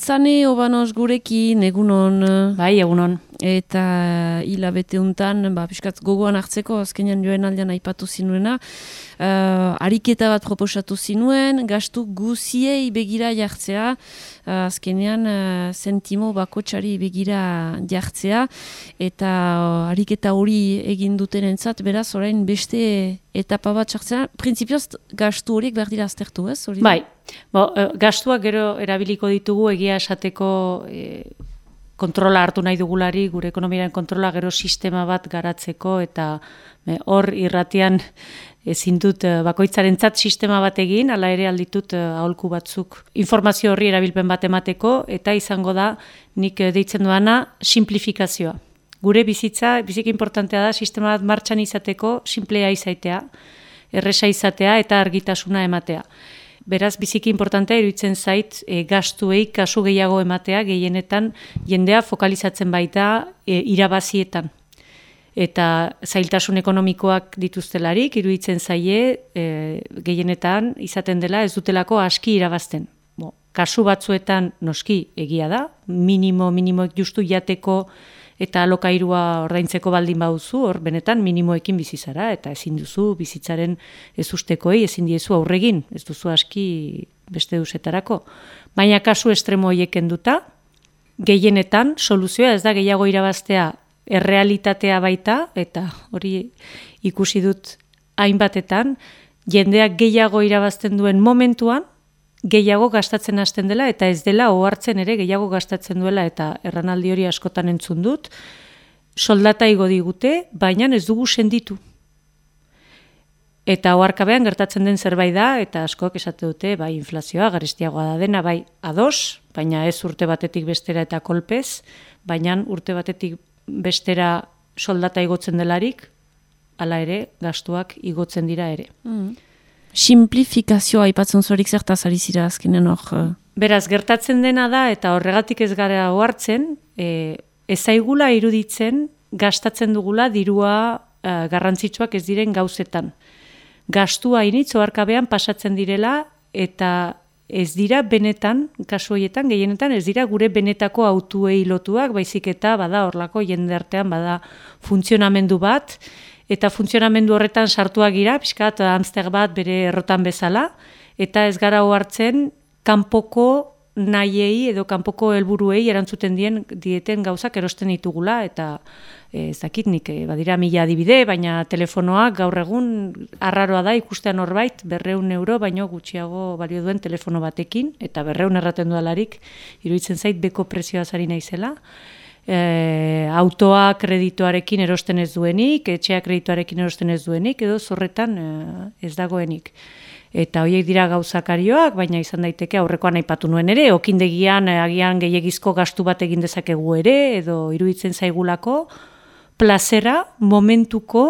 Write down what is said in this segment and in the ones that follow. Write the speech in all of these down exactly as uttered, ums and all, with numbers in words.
Zane Obanos gurekin, egunon. Bai, egunon. Eta hilabete untan, ba, piskat gogoan hartzeko, azkenean joen aldean aipatu zinuena, uh, ariketa bat proposatu zinuen, gastu guziei begira jartzea, uh, azkenean uh, zentimo bakotxari begira jartzea, eta uh, ariketa hori egin duten entzat, beraz, orain beste etapa bat jartzea, printzipioz gastu horiek behar dira aztertu, ez? Hori bai, Bo, gastuak gero erabiliko ditugu egia esateko e, kontrola hartu nahi dugulari, gure ekonomiaren kontrola gero sistema bat garatzeko, eta e, hor irratian ezin dut bakoitzarentzat sistema bat egin, hala ere alditut aholku batzuk informazio horri erabilpen bat emateko, eta izango da nik deitzen duana simplifikazioa. Gure bizitza, biziki importantea da sistema bat martxan izateko simplea izatea, erresa izatea eta argitasuna ematea. Beraz, biziki importantea iruditzen zait e, gastuei kasu gehiago ematea, gehienetan jendea fokalizatzen baita e, irabazietan. Eta zailtasun ekonomikoak dituztelarik, iruditzen zaie e, gehienetan izaten dela ez dutelako aski irabazten. Bo, kasu batzuetan noski egia da, minimo, minimoek justu jateko eta alokairua ordaintzeko baldin baduzu, hor benetan minimoekin bizi zara, eta ezin duzu bizitzaren ez ustekoei, ezin diezu aurregin, ez duzu aski beste duzetarako. Baina kasu estremo horiek kenduta, gehienetan soluzioa ez da gehiago irabaztea errealitatea baita, eta hori ikusi dut hainbatetan, jendeak gehiago irabazten duen momentuan, gehiago gastatzen hasten dela, eta ez dela ohartzen ere gehiago gastatzen duela, eta erranaldi hori askotan entzun dut, soldata igo digute, baina ez dugu senditu. Eta oharkabean gertatzen den zerbait da, eta askok esate dute, bai inflazioa, garestiagoa da dena, bai ados, baina ez urte batetik bestera eta kolpez, baina urte batetik bestera soldata igotzen delarik, hala ere, gastuak igotzen dira ere. Mm. Simplifikazioa aipatzen zuerik zertaz ari zira azkenean hor. Beraz, gertatzen dena da, eta horregatik ez gara ohartzen, e, ez zaigula iruditzen gastatzen dugula dirua e, garrantzitsuak ez diren gauzetan. Gastua initz oharkabean pasatzen direla, eta ez dira benetan, kasu horietan, gehienetan, ez dira gure benetako autuei lotuak, baizik eta bada horlako jende artean bada funtzionamendu bat, eta funtzionamendu horretan sartuak gira, pixkat hamster bat bere errotan bezala, eta ez gara ohartzen kanpoko nahiei edo kanpoko helburuei erantzuten dien dieten gauzak erosten ditugula, eta ez dakit nik badira mila adibide, baina telefonoak gaur egun arraroa da ikustean horbait berreun euro, baino gutxiago balio duen telefono batekin, eta berreun erraten dualarik, iruditzen zait beko prezioa zari naizela. E, autoa kreditoarekin erosten ez duenik, etxea kreditoarekin erosten ez duenik, edo zorretan e, ez dagoenik. Eta horiek dira gauzakarioak, baina izan daiteke aurrekoan aipatu nuen ere, okindegian agian gehiegizko gastu bat egin dezakegu ere, edo iruditzen zaigulako, plazera momentuko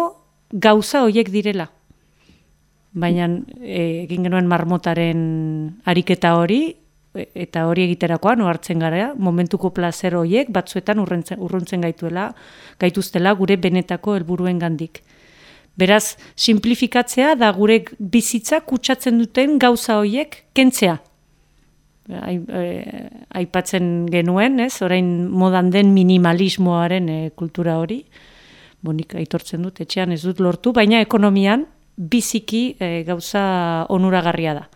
gauza horiek direla. Baina e, egin genuen marmotaren ariketa hori, eta hori egiterakoan ohartzen gara, momentuko plazer horiek batzuetan urruntzen gaituela, gaituztela gure benetako helburuen gandik. Beraz, simplifikatzea da gure bizitza kutsatzen duten gauza horiek kentzea. Aipatzen genuen, ez? Orain modan den minimalismoaren e, kultura hori, bonik aitortzen dut, etxean ez dut lortu, baina ekonomian biziki e, gauza onuragarria da.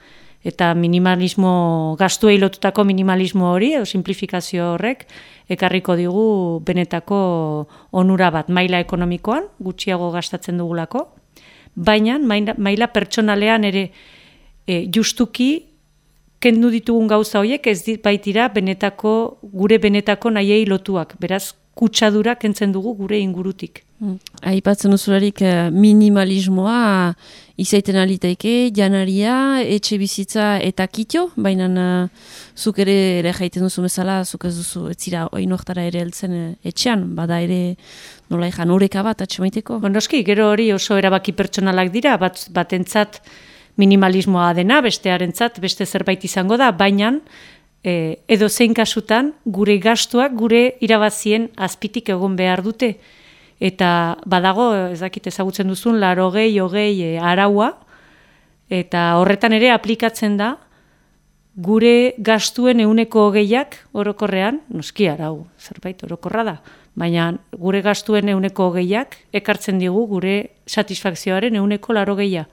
Eta minimalismo, gastuei lotutako minimalismo hori, edo simplifikazio horrek, ekarriko digu benetako onura bat maila ekonomikoan, gutxiago gastatzen dugulako, baina maila, maila pertsonalean ere e, justuki kendu ditugun gauza horiek ez baitira benetako, gure benetako nahiei lotuak, beraz kutsadura kentzen dugu gure ingurutik. Mm. Aipatzen duzularik minimalismoa izaiten alitaike, janaria, etxe bizitza eta kitio, baina uh, zuk ere ere jaiten duzu bezala, zuk ez duzu etzira oinoktara ere heltzen etxean, bada ere nola ejan oreka bat atxemaiteko? Noski, gero hori oso erabaki pertsonalak dira, bat, batentzat minimalismoa dena, bestearentzat beste zerbait izango da, baina E, edo zein kasutan gure gastuak gure irabazien azpitik egon behar dute. Eta badago, ez dakit ezagutzen duzun, larogei, hogei e, araua, eta horretan ere aplikatzen da gure gastuen euneko hogeiak orokorrean, noski arau, zerbait orokorra da, baina gure gastuen euneko hogeiak ekartzen digu gure satisfakzioaren euneko laro geia.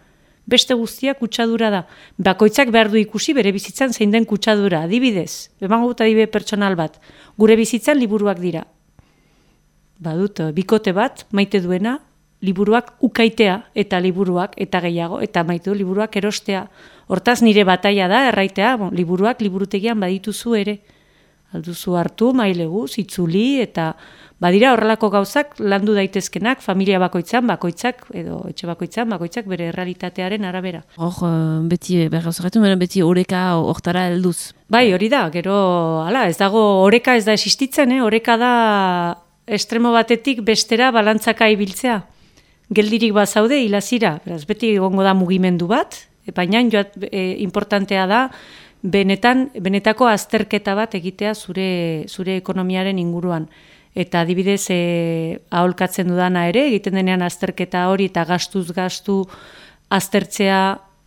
Beste guztia kutsadura da. Bakoitzak behar du ikusi bere bizitzan zein den kutsadura. Adibidez, emango dut adibide pertsonal bat, gure bizitzan liburuak dira. Badut, bikote bat, maite duena, liburuak ukaitea eta liburuak eta gehiago, eta maite du liburuak erostea. Hortaz nire bataia da, erraitea, bon, liburuak liburutegian badituzu ere. Alduzu hartu, mailegu, zitzuli, eta badira horrelako gauzak landu daitezkenak, familia bakoitzan, bakoitzak, edo etxe bakoitzan, bakoitzak bere realitatearen arabera. Hor, beti, bergauzarretu, beti oreka hortara helduz. Bai, hori da, gero, hala, ez dago, oreka ez da existitzen, eh? Oreka da estremo batetik bestera balantzaka ibiltzea. Geldirik bazaude, hilazira, beraz, beti egongo da mugimendu bat, baina joat, e, importantea da, benetan, benetako azterketa bat egitea zure, zure ekonomiaren inguruan. Eta adibidez, e, aholkatzen dudana ere, egiten denean azterketa hori eta gastuz gastu aztertzea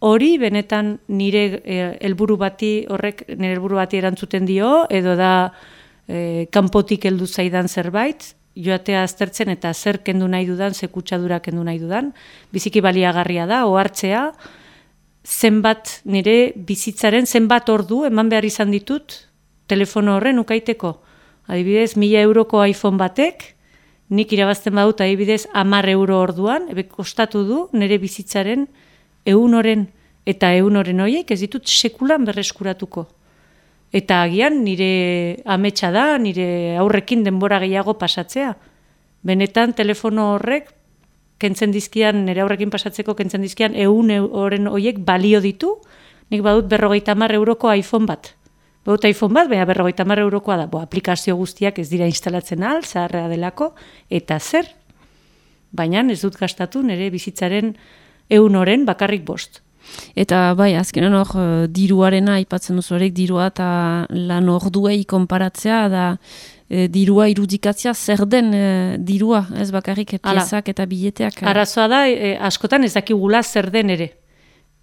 hori, benetan nire e, helburu bati, horrek nire helburu bati erantzuten dio, edo da e, kanpotik heldu zaidan zerbait, joatea aztertzen eta zer kendu nahi dudan, ze kutsadura kendu nahi dudan, biziki baliagarria da, ohartzea, zenbat nire bizitzaren, zenbat ordu eman behar izan ditut telefono horren ukaiteko. Adibidez, mila euroko iPhone batek, nik irabazten badut adibidez hamar euro orduan, ebe kostatu du nire bizitzaren ehun oren, eta ehun oren horiek ez ditut sekulan berreskuratuko. Eta agian nire ametsa da, nire aurrekin denbora gehiago pasatzea. Benetan telefono horrek, kentzen dizkian, nire aurrekin pasatzeko kentzen dizkian, ehun oren horiek balio ditu, nik badut berrogeita hamar euroko iPhone bat. Badut iPhone bat, baina berrogeita hamar eurokoa da. Bo, aplikazio guztiak ez dira instalatzen al, zaharrea delako, eta zer? Baina ez dut gastatu nire bizitzaren ehun oren bakarrik bost. Eta bai, azkenan hor, diruarena aipatzen duzu horrek, dirua eta lan orduei konparatzea, da e, dirua irudikatzea zer den e, dirua, ez bakarrik piezak eta bileteak. Arazoa da, e, askotan ez dakigula zer den ere.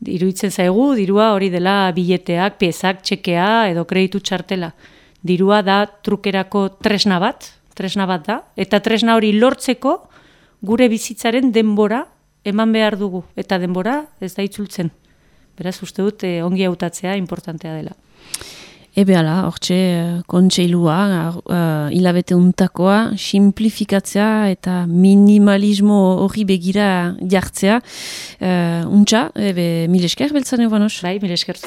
Iruditzen zaigu, dirua hori dela bileteak, piezak, txekea edo kreditu txartela. Dirua da trukerako tresna bat, tresna bat da, eta tresna hori lortzeko gure bizitzaren denbora eman behar dugu, eta denbora ez da itzultzen. Beraz, uste dut, eh, ongi hautatzea importantea dela. Ebe ala, hortxe, kontseilua, uh, hilabete untakoa, simplifikatzea eta minimalismo hori begira jartzea. Uh, untxa, ebe, mil esker, beltzan ebanos? Bai, mil esker.